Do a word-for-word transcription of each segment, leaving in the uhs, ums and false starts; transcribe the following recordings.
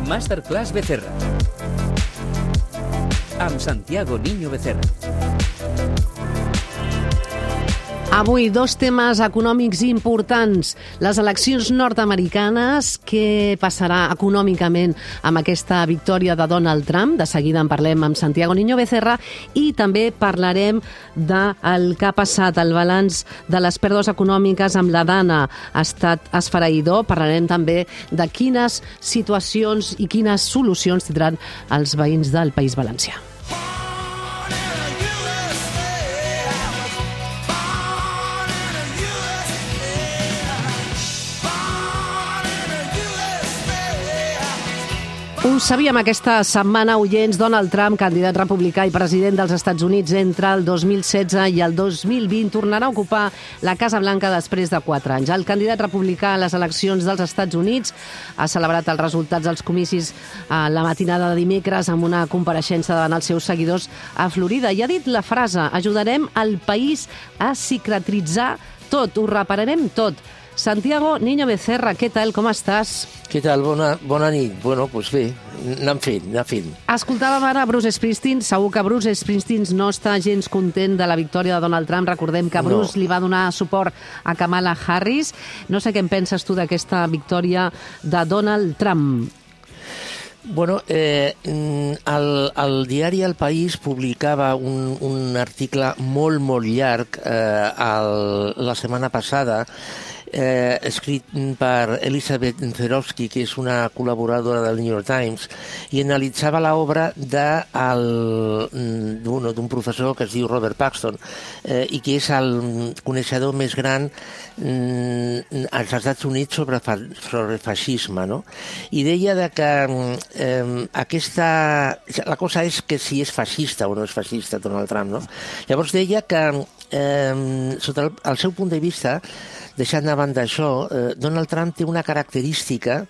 Masterclass Becerra. Amb Santiago Niño Becerra. Avui, dos temes econòmics importants. Les eleccions nord-americanes, què passarà econòmicament amb aquesta victòria de Donald Trump? De seguida en parlem amb Santiago Niño Becerra i també parlarem del que ha passat, el balanç de les pèrdues econòmiques amb la Dana ha estat esfereïdor. Parlarem també de quines situacions i quines solucions tindran els veïns del País Valencià. Ho sabíem aquesta setmana, oients. Donald Trump, candidat republicà i president dels Estats Units entre el dos mil setze i el dos mil vint, tornarà a ocupar la Casa Blanca després de quatre anys. El candidat republicà a les eleccions dels Estats Units ha celebrat els resultats dels comicis a la matinada de dimecres amb una compareixença davant els seus seguidors a Florida i ha dit la frase: ajudarem el país a cicatritzar tot, ho repararem tot. Santiago Niño Becerra, què tal, com estàs? Què tal? Bona, bona nit. Bueno, doncs bé, anem fent, anem fent. Escoltàvem ara Bruce Springsteen. Segur que Bruce Springsteen no està gens content de la victòria de Donald Trump. Recordem que Bruce no. li va donar suport a Kamala Harris. No sé què en penses tu d'aquesta victòria de Donald Trump. Bueno, eh, el, el diari El País publicava un, un article molt, molt llarg eh, el, la setmana passada, eh, escrit per Elizabeth Zerovsky, que és una col·laboradora del New York Times, i analitzava l'obra d'un professor que es diu Robert Paxton, eh, i que és el coneixedor més gran mm, als Estats Units sobre, fa, sobre feixisme, no? I deia de que eh, aquesta... La cosa és que si és feixista o no és feixista Donald Trump, no? Llavors deia que, eh, sota el, el seu punt de vista, deixant de banda això, eh, Donald Trump té una característica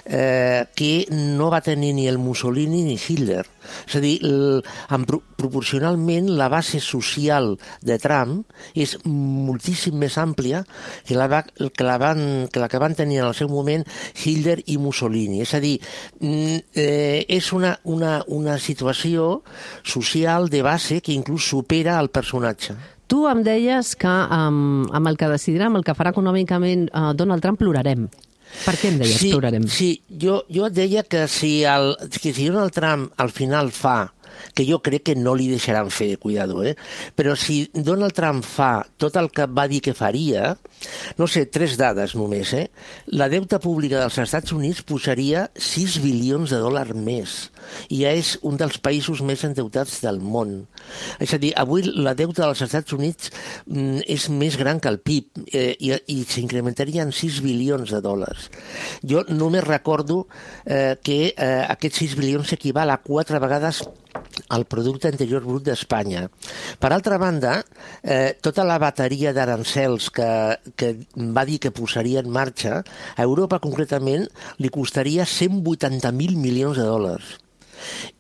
eh, que no va tenir ni el Mussolini ni Hitler. És a dir, el, en, proporcionalment la base social de Trump és moltíssim més àmplia que la, que la, van, que, la que van tenir en el seu moment Hitler i Mussolini. És a dir, eh, és una, una, una situació social de base que inclús supera el personatge. Tu em deies que um, amb el que decidirà, amb el que farà econòmicament uh, Donald Trump, plorarem. Per què em deies sí, plorarem? Sí, jo, jo et deia que si, el, que si Donald Trump al final fa, que jo crec que no li deixaran fer, cuidado, eh? Però si Donald Trump fa tot el que va dir que faria, no sé, tres dades només, eh? La deute pública dels Estats Units posaria sis bilions de dòlars més i ja és un dels països més endeutats del món. És a dir, avui la deute dels Estats Units mm, és més gran que el P I B eh, i, i s'incrementaria en sis bilions de dòlars. Jo només recordo eh, que eh, aquests sis bilions s'equival a quatre vegades el producte interior brut d'Espanya. Per altra banda, eh, tota la bateria d'arancels que, que va dir que posaria en marxa, a Europa concretament li costaria cent vuitanta mil milions de dòlars.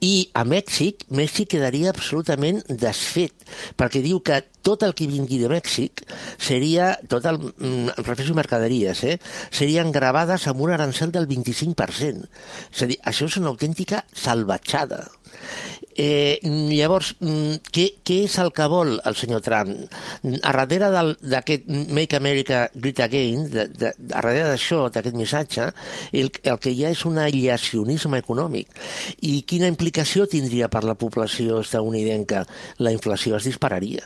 I a Mèxic, Mèxic quedaria absolutament desfet, perquè diu que tot el que vingui de Mèxic seria, tot el, em refereixo a mercaderies, eh, serien gravades amb un arancel del vint-i-cinc per cent. És a dir, això és una autèntica salvatjada. Eh, llavors, què, què és el que vol el senyor Trump? A darrere d'aquest Make America Great Again, de, de, a darrere d'això, d'aquest missatge, el, el que hi ha és un aïllacionisme econòmic. I quina implicació tindria per la població estadounidenca? La inflació es dispararia,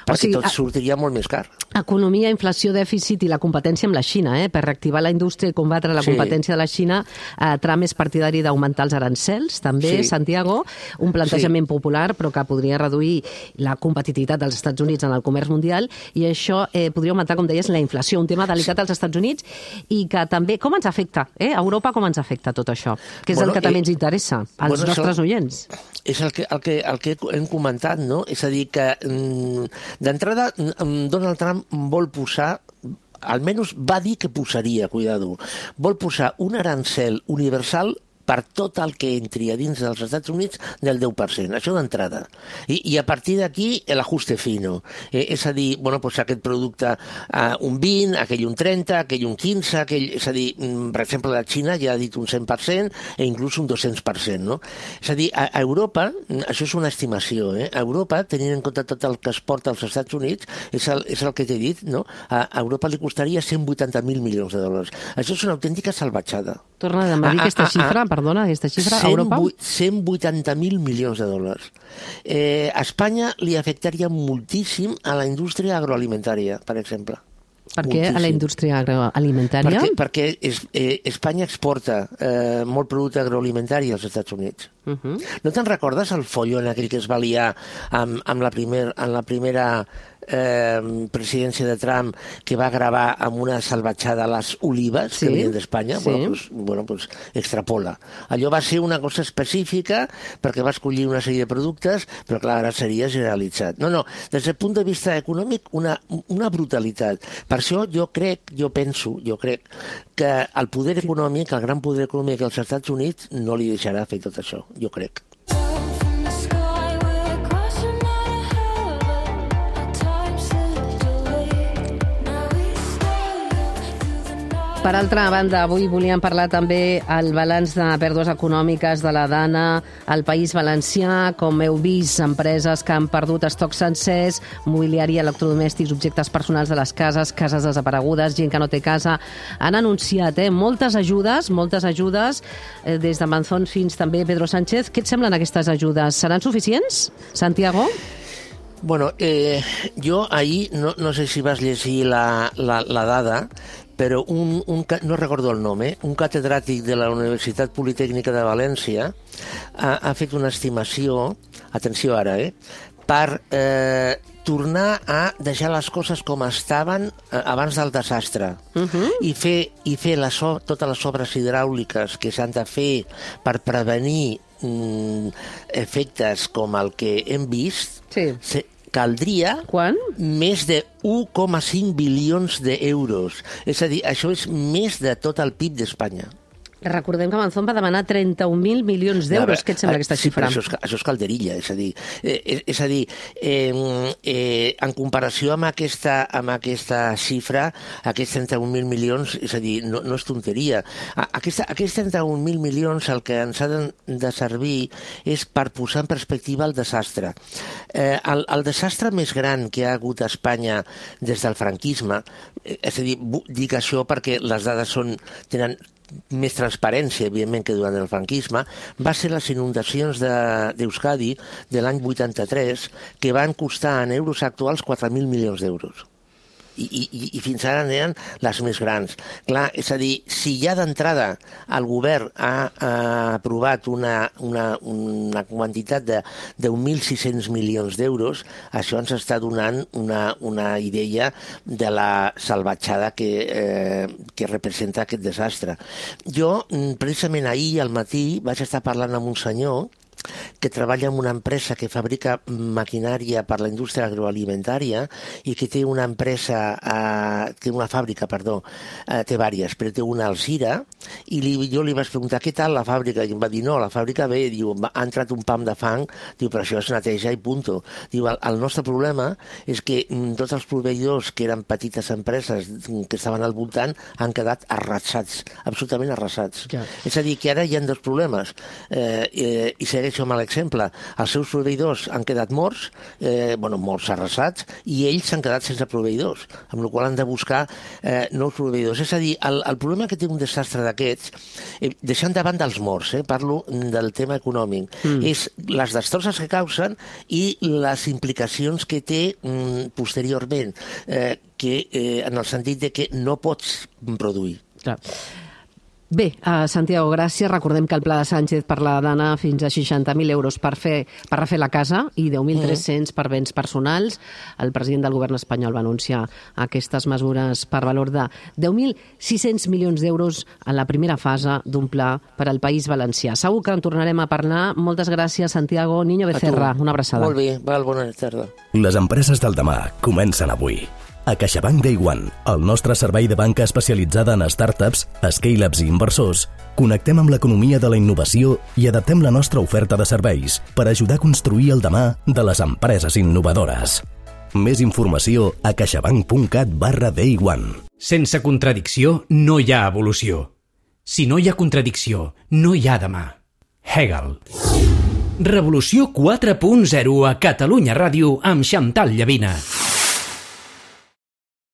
perquè o sigui, tot sortiria molt més car. Economia, inflació, dèficit i la competència amb la Xina. Eh? Per reactivar la indústria i combatre la sí. competència de la Xina, eh, Trump és partidari d'augmentar els arancels, també, sí. Santiago, un plantejament sí. popular, però que podria reduir la competitivitat dels Estats Units en el comerç mundial, i això eh, podria augmentar, com deies, la inflació, un tema delicat als Estats Units, i que també, com ens afecta? Eh? A Europa com ens afecta tot això? Que és bueno, el que també eh, ens interessa, als bueno, nostres això, oients. És el que, el, que, el que hem comentat, no? És a dir, que mm, d'entrada Donald Trump vol posar, almenys va dir que posaria, cuidado, vol posar un arancel universal per tot el que entri a dins dels Estats Units del deu per cent, això d'entrada. I, i a partir d'aquí, l'ajuste fino. Eh, és a dir, bueno, pues aquest producte eh, un vint, aquell un trenta, aquell un quinze, aquell, és a dir, per exemple, la Xina ja ha dit un cent per cent e inclús un dos-cents per cent, no? És a dir, a, a Europa, això és una estimació, eh? A Europa, tenint en compte tot el que es porta als Estats Units, és el, és el que t'he dit, no? A, a Europa li costaria cent vuitanta mil milions de dòlars. Això és una autèntica salvatjada. Torna a dir aquesta xifra, a, a, perdona, aquesta xifra a Europa? cent vuitanta mil milions de dòlars. Eh, a Espanya li afectaria moltíssim a la indústria agroalimentària, per exemple. Per què a la indústria agroalimentària? Perquè, perquè es, eh, Espanya exporta eh, molt producte agroalimentari als Estats Units. Uh-huh. No te'n recordes el follon aquell que es va liar amb, amb la, primer, en la primera eh, presidència de Trump, que va gravar amb una salvatjada les olives sí, que venien d'Espanya? Sí. Bueno, pues, bueno, pues extrapola. Allò va ser una cosa específica perquè va escollir una sèrie de productes, però clar, ara seria generalitzat. No, no, des del punt de vista econòmic, una, una brutalitat. Per això jo crec, jo penso, jo crec que el poder econòmic, el gran poder econòmic dels Estats Units no li deixarà fer tot això, jo crec. Per altra banda, avui volíem parlar també el balanç de pèrdues econòmiques de la Dana al País Valencià. Com heu vist, empreses que han perdut estocs sencers, mobiliari, electrodomèstics, objectes personals de les cases, cases desaparegudes, gent que no té casa. Han anunciat eh, moltes ajudes, moltes ajudes, eh, des de Manzón fins també Pedro Sánchez. Què et semblen aquestes ajudes? Seran suficients, Santiago? Bueno, eh, jo ahir, no, no sé si vas llegir la, la, la dada, però un, un, no recordo el nom, eh? un catedràtic de la Universitat Politècnica de València ha, ha fet una estimació, atenció ara, eh? per eh, tornar a deixar les coses com estaven eh, abans del desastre uh-huh. i fer, i fer les, totes les obres hidràuliques que s'han de fer per prevenir mm, efectes com el que hem vist, sí. se, caldria Quan? més de un coma cinc bilions d'euros. És a dir, això és més de tot el P I B d'Espanya. Recordem que Manzón va demanar trenta-un mil milions d'euros. Què et sembla aquesta sí, xifra? Això és, això és calderilla, és a dir, eh, és, és a dir eh, eh, en comparació amb aquesta, amb aquesta xifra, aquests trenta-un mil milions, és a dir, no, no és tonteria. Aquesta, aquests trenta-un mil milions el que ens ha de, de servir és per posar en perspectiva el desastre. Eh, el, el desastre més gran que ha hagut a Espanya des del franquisme, eh, és a dir, dic això perquè les dades són, tenen més transparència, evidentment, que durant el franquisme, va ser les inundacions d'Euskadi de, de l'any vuitanta-tres, que van costar en euros actuals quatre mil milions d'euros. I, i, i fins ara eren les més grans. Clar, és a dir, si ja d'entrada el govern ha, ha aprovat una, una, una quantitat de deu mil sis-cents milions d'euros, això ens està donant una, una idea de la salvatjada que, eh, que representa aquest desastre. Jo, precisament ahir al matí, vaig estar parlant amb un senyor que treballa en una empresa que fabrica maquinària per la indústria agroalimentària i que té una empresa, eh, té una fàbrica, perdó, eh, té vàries, però té una a Alzira, i li, jo li vaig preguntar què tal la fàbrica, i em va dir no, la fàbrica bé, diu, ha entrat un pam de fang, diu, però això es neteja i punto. Diu, el, el nostre problema és que mm, tots els proveïdors que eren petites empreses que estaven al voltant han quedat arrasats, absolutament arrasats. Ja. És a dir, que ara hi ha dos problemes, eh, eh, i segueix amb l'exemple. Els seus proveïdors han quedat morts, eh, bueno, morts arrasats, i ells s'han quedat sense proveïdors, amb la qual han de buscar eh, nous proveïdors. És a dir, el, el problema que té un desastre d'aquests, eh, deixant davant dels morts, eh, parlo del tema econòmic, mm. és les destrosses que causen i les implicacions que té mm, posteriorment, eh, que, eh, en el sentit de que no pots produir. Clar. Bé, uh, Santiago, gràcies. Recordem que el pla de Sánchez per la Dana fins a seixanta mil euros per, fer, per refer la casa i deu mil tres-cents per béns personals. El president del govern espanyol va anunciar aquestes mesures per valor de deu mil sis-cents milions d'euros en la primera fase d'un pla per al País Valencià. Segur que en tornarem a parlar. Moltes gràcies, Santiago Niño Becerra. Una abraçada. Molt bé, val, bona tarda. Les empreses del demà comencen avui. A CaixaBank Day One, el nostre servei de banca especialitzada en startups, scale-ups i inversors, connectem amb l'economia de la innovació i adaptem la nostra oferta de serveis per ajudar a construir el demà de les empreses innovadores. Més informació a caixabank.cat barra Day One. Sense contradicció no hi ha evolució. Si no hi ha contradicció, no hi ha demà. Hegel. Revolució quatre punt zero a Catalunya Ràdio amb Xantal Llavina.